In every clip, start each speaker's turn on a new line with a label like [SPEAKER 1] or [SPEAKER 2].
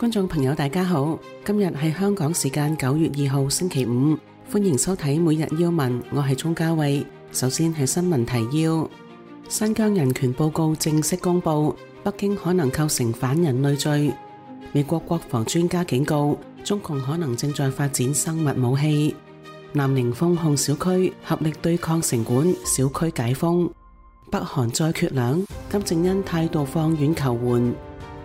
[SPEAKER 1] 觀眾朋友大家好，今日係香港時間9月2號星期五，歡迎收睇每日要聞，我係鍾嘉慧。首先係新聞提要：新疆人權報告正式公布，北京可能構成反人類罪。美國國防專家警告，中共可能正在發展生物武器。南寧封控小區，合力對抗城管，小區解封。北韓再缺糧，金正恩態度放軟求援。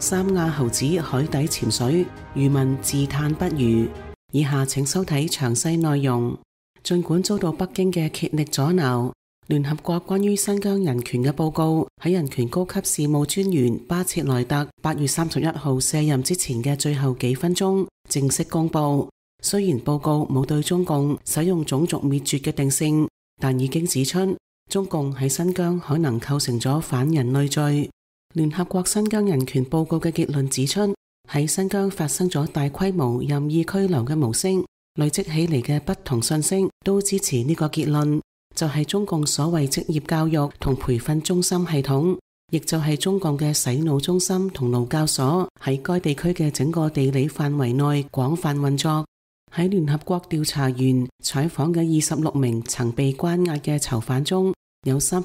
[SPEAKER 1] 三亞猴子海底潛水，漁民自嘆不如。以下請收睇詳細內容。儘管遭到北京嘅竭力阻撓，聯合國關於新疆人權嘅報告喺人權高級事務專員巴切萊特8月31號卸任之前嘅最後幾分鐘正式公布。雖然報告冇對中共使用種族滅絕嘅定性，但已經指出中共喺新疆可能構成咗反人類罪。聯合國新疆人權報告嘅結論指出，喺新疆發生咗大規模任意拘留嘅模式，累積起嚟嘅不同信息都支持呢個結論，就係中共所謂職業教育同培訓中心系統，亦就係中共嘅洗腦中心同勞教所喺該地區嘅整個地理範圍內廣泛運作。喺聯合國調查員採訪嘅26名曾被關押嘅囚犯中，有2/3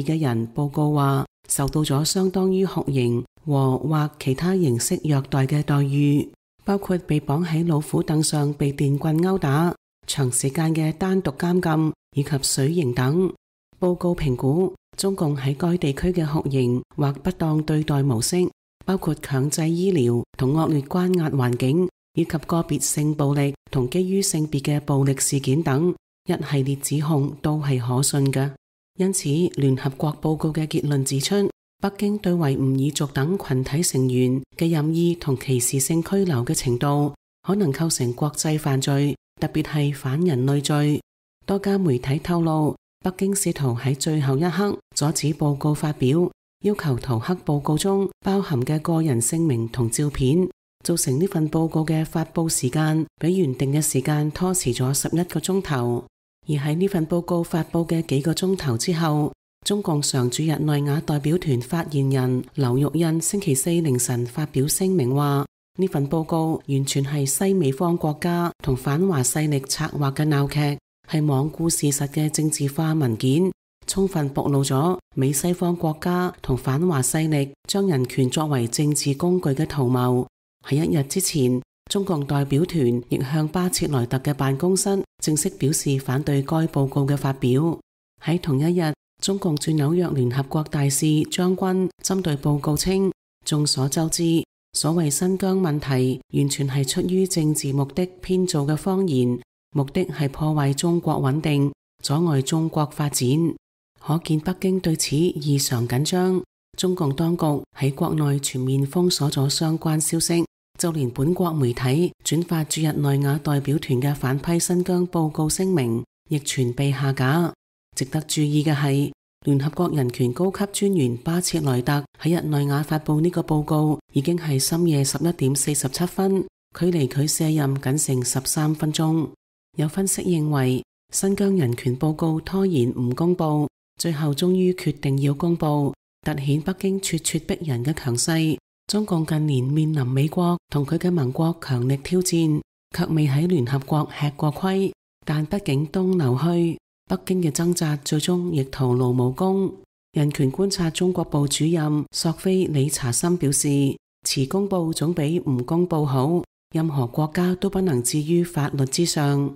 [SPEAKER 1] 嘅人報告話受到咗相當於酷刑或其他形式虐待嘅待遇，包括被綁喺老虎凳上被電棍毆打、長時間嘅單獨監禁以及水刑等。報告評估中共喺該地區嘅酷刑或不當對待模式，包括強制醫療同惡劣關押環境，以及個別性暴力同基於性別嘅暴力事件等一系列指控都係可信嘅。因此，聯合國報告嘅結論指出，北京對維吾爾族等群體成員嘅任意同歧視性拘留嘅程度，可能構成國際犯罪，特別係反人類罪。多家媒體透露，北京試圖喺最後一刻阻止報告發表，要求塗黑報告中包含嘅個人姓名同照片，造成呢份報告嘅發佈時間比原定嘅時間拖遲咗11個鐘頭。而喺呢份報告發佈嘅幾個鐘頭之後，中共常駐日內瓦代表團發言人劉玉印星期四凌晨發表聲明話，呢份報告完全係西美方國家同反華勢力策劃嘅鬧劇，係罔顧事實嘅政治化文件，充分暴露咗美西方國家同反華勢力將人權作為政治工具嘅圖謀。喺1日之前，中共代表團亦向巴切萊特嘅辦公室正式表示反對該報告嘅發表。喺同一日，中共駐紐約聯合國大使張軍針對報告稱，眾所周知，所謂新疆問題完全係出於政治目的編造嘅謊言，目的係破壞中國穩定，阻礙中國發展。可見北京對此異常緊張。中共當局喺國內全面封鎖咗相關消息，就連本國媒體轉發駐日內瓦代表團嘅反批新疆報告聲明，亦全被下架。值得注意嘅係，聯合國人權高級專員巴切萊特喺日內瓦發佈呢個報告，已經係深夜11點47分，距離佢卸任僅剩13分鐘。有分析認為，新疆人權報告拖延唔公佈，最後終於決定要公佈，凸顯北京咄咄逼人嘅強勢。中共近年面臨美國同佢嘅盟國強力挑戰，卻未喺聯合國吃過虧。但畢竟東流去，北京嘅掙扎最終亦徒勞無功。人權觀察中國部主任索菲理查森表示，遲公佈總比唔公佈好，任何國家都不能置於法律之上。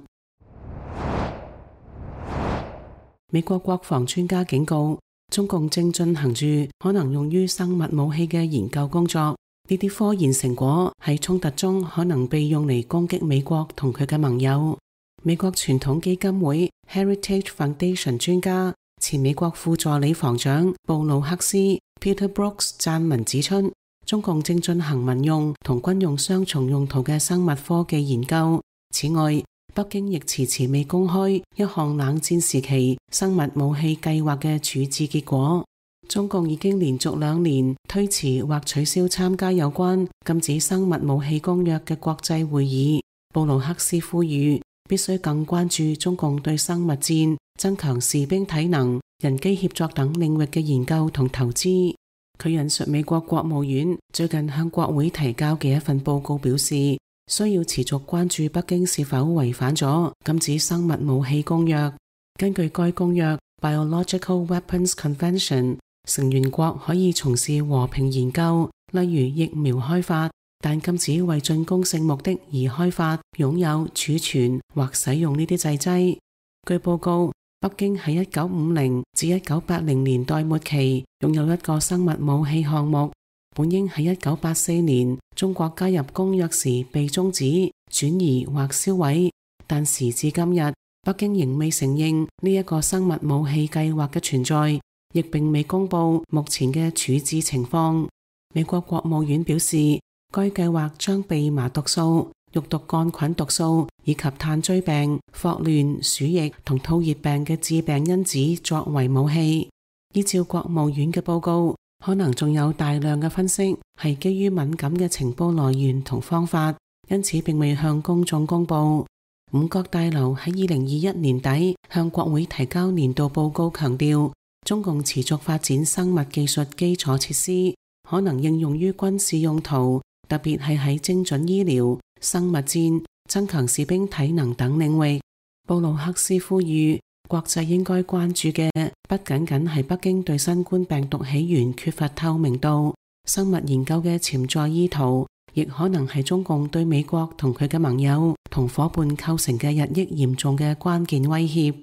[SPEAKER 1] 美國國防專家警告，中共正進行住可能用於生物武器嘅研究工作，呢啲科研成果喺衝突中可能被用嚟攻擊美國同佢嘅盟友。美國傳統基金會 Heritage Foundation 專家、前美國副助理防長布魯克斯 Peter Brooks 撰文指出，中共正進行民用同軍用雙重用途嘅生物科技研究。此外，北京亦遲遲未公開一項冷戰時期生物武器計劃嘅處置結果。中共已經連續2年推遲或取消參加有關禁止生物武器公約嘅國際會議。布魯克斯呼籲必須更關注中共對生物戰、增強士兵體能、人機協作等領域嘅研究同投資。佢引述美國國務院最近向國會提交嘅一份報告表示，需要持續關注北京是否違反咗禁止生物武器公約。根據該公約 Biological Weapons Convention， 成員國可以從事和平研究，例如疫苗開發，但禁止為進攻性目的而開發、擁有、儲存或使用呢啲製劑。據報告，北京喺1950至1980年代末期擁有一個生物武器項目，本應喺1984年中國加入公約時被終止、轉移或銷毀，但時至今日，北京仍未承認呢一個生物武器計劃嘅存在，亦並未公布目前嘅處置情況。美國國務院表示，該計劃將蓖麻毒素、肉毒桿菌毒素以及炭疽病、霍亂、鼠疫同吐熱病嘅致病因子作為武器。依照國務院嘅報告，可能仲有大量嘅分析係基於敏感嘅情報來源同方法，因此並未向公眾公布。五角大樓喺2021年底向國會提交年度報告，強調中共持續發展生物技術基礎設施，可能應用於軍事用途，特別係喺精準醫療、生物戰、增強士兵體能等領域。布魯克斯呼籲國際應該關注嘅不僅僅係北京對新冠病毒起源缺乏透明度，生物研究嘅潛在意圖，亦可能係中共對美國同佢嘅盟友同夥伴構成嘅日益嚴重嘅關鍵威脅。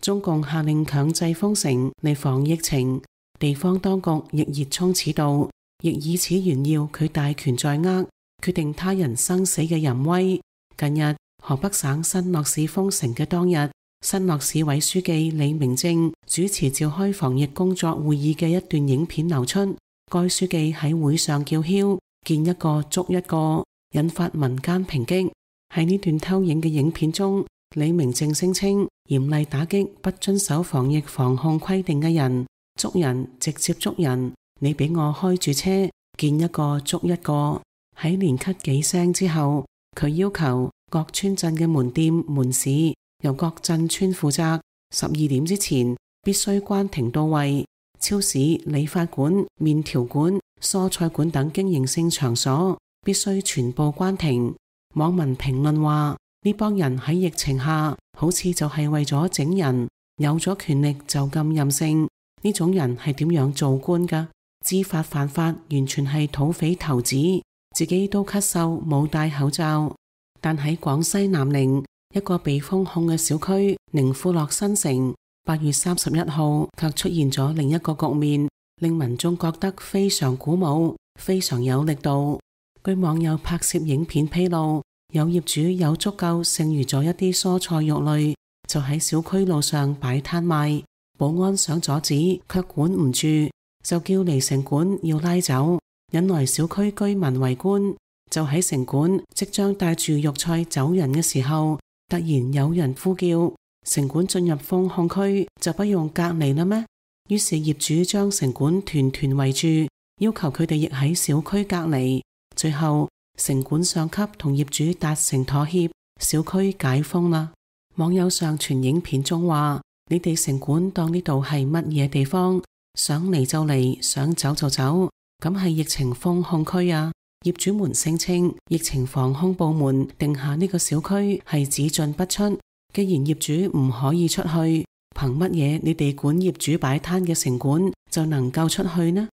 [SPEAKER 1] 中共下令強制封城嚟防疫情，地方當局亦熱衷此道，亦以此炫耀佢大權在握，決定他人生死嘅淫威。近日，河北省新樂市封城嘅當日，新樂市委書記李明正主持召開防疫工作會議嘅一段影片流出。該書記喺會上叫囂，見一個捉一個，引發民間抨擊。喺呢段偷影嘅影片中，李明正聲稱嚴厲打擊不遵守防疫防控規定嘅人，捉人直接捉人，你俾我開住車，見一個捉一個。喺連咳幾聲之後，佢要求各村鎮嘅門店門市由各鎮村負責，12點之前必須關停到位。超市、理髮館、麵條館、蔬菜館等經營性場所必須全部關停。網民評論話，呢幫人喺疫情下好似就係為咗整人，有咗權力就咁任性。呢種人係點樣做官㗎？知法犯法，完全係土匪頭子，自己都咳嗽冇戴口罩。但喺廣西南寧一個被封控嘅小區寧富樂新城，8月31號卻出現咗另一個局面，令民眾覺得非常鼓舞，非常有力度。據網友拍攝影片披露，有業主有足夠剩餘咗一啲蔬菜肉類，就喺小區路上擺攤賣。保安想阻止，卻管唔住，就叫嚟城管要拉走，引來小區居民圍觀。就喺城管即將帶住肉菜走人嘅時候，突然有人呼叫，城管進入封控區就不用隔離啦咩？於是業主將城管團團圍住，要求佢哋亦喺小區隔離。最後城管上級同業主達成妥協，小區解封啦。網友上傳影片中話，你哋城管當呢度係乜嘢地方？想嚟就嚟，想走就走，咁係疫情封控區啊！業主們聲稱，疫情防控部門定下呢個小區係只進不出，既然業主唔可以出去，憑乜嘢你哋管業主擺攤嘅城管就能夠出去呢？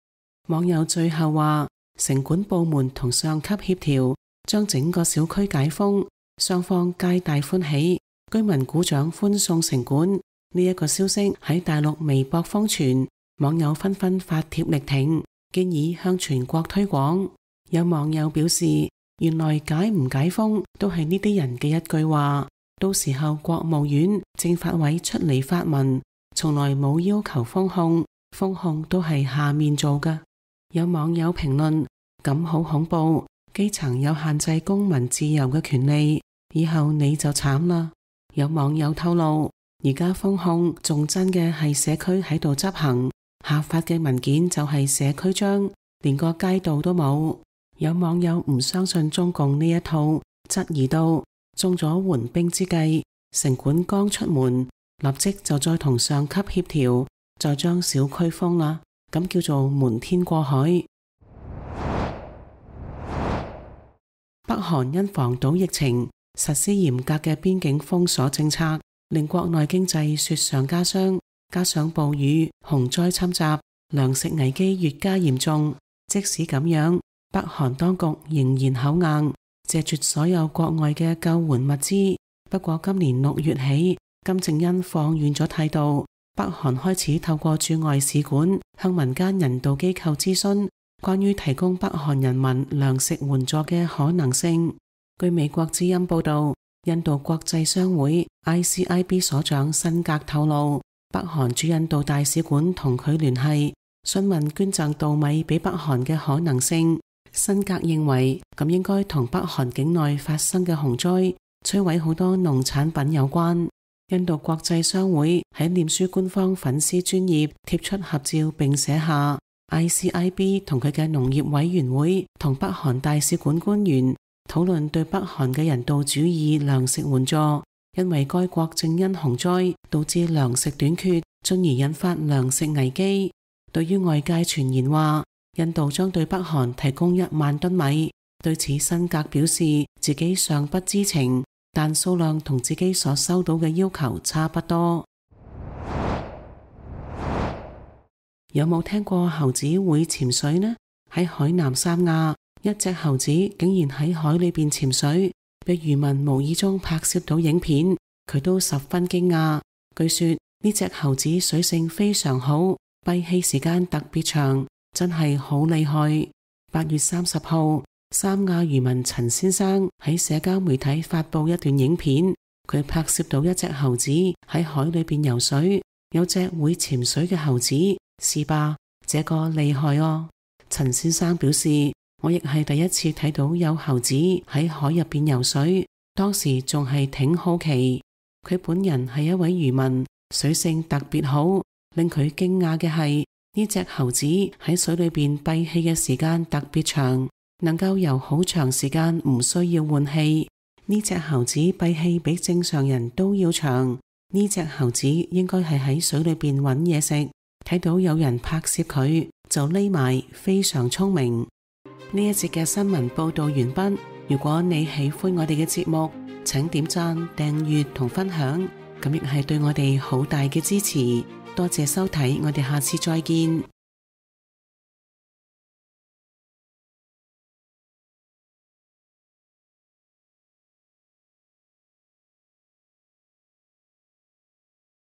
[SPEAKER 1] 網友最後話，城管部門同上級協調，將整個小區解封，雙方皆大歡喜，居民鼓掌歡送城管。呢一個消息喺大陸微博瘋傳，網友紛紛發帖力挺，建議向全國推廣。有網友表示，原來解唔解封都係呢啲人嘅一句話，到時候國務院、政法委出嚟發文，從來冇要求封控，封控都係下面做㗎。有網友評論，咁好恐怖，基層有限制公民自由嘅權利，以後你就慘啦。有網友透露，而家封控仲真嘅係社區喺度執行，下發嘅文件就係社區章，連個街道都冇。有網友唔相信中共呢一套，質疑到中咗緩兵之計，城管剛出門，立即就再同上級協調，再將小區封啦，咁叫做瞞天過海。北韓因防堵疫情，實施嚴格嘅邊境封鎖政策，令國內經濟雪上加霜，加上暴雨、洪災侵襲，糧食危機越加嚴重。即使咁樣，北韓當局仍然口硬，謝絕所有國外嘅救援物資。不過今年6月起，金正恩放軟咗態度，北韓開始透過駐外使館向民間人道機構諮詢關於提供北韓人民糧食援助嘅可能性。據美國之音報道，印度國際商會 ICIB 所長辛格透露，北韓駐印度大使館同佢聯繫，詢問捐贈稻米俾北韓嘅可能性。辛格認為咁應該同北韓境內發生嘅洪災、摧毀好多農產品有關。印度國際商會喺臉書官方粉絲專頁貼出合照，並寫下 ICIB 同佢嘅農業委員會同北韓大使館官員討論對北韓嘅人道主義糧食援助，因為該國正因洪災導致糧食短缺，進而引發糧食危機。對於外界傳言話印度將對北韓提供1萬噸米，對此辛格表示自己尚不知情，但數量同自己所收到嘅要求差不多。有冇聽過猴子會潛水呢？喺海南三亞，一隻猴子竟然喺海裏邊潛水，被漁民無意中拍攝到影片，佢都十分驚訝。據說呢隻猴子水性非常好，閉氣時間特別長，真係好厲害。8月30號，三亞漁民陳先生喺社交媒體發布一段影片，佢拍攝到一隻猴子喺海裏邊游水，有隻會潛水嘅猴子，是吧？這個厲害哦。陳先生表示，我亦係第一次睇到有猴子喺海入邊游水，當時仲係挺好奇。佢本人係一位漁民，水性特別好。令佢驚訝嘅係呢隻猴子喺水裏邊閉氣嘅時間特別長，能夠游好長時間唔需要換氣。呢隻猴子閉氣比正常人都要長。呢隻猴子應該係喺水裏邊揾嘢食，睇到有人拍攝佢就匿埋，非常聰明。呢一節嘅新聞報道完畢。如果你喜歡我哋嘅節目，請點讚、訂閱同分享，咁亦係對我哋好大嘅支持。多謝收睇，我哋下次再見。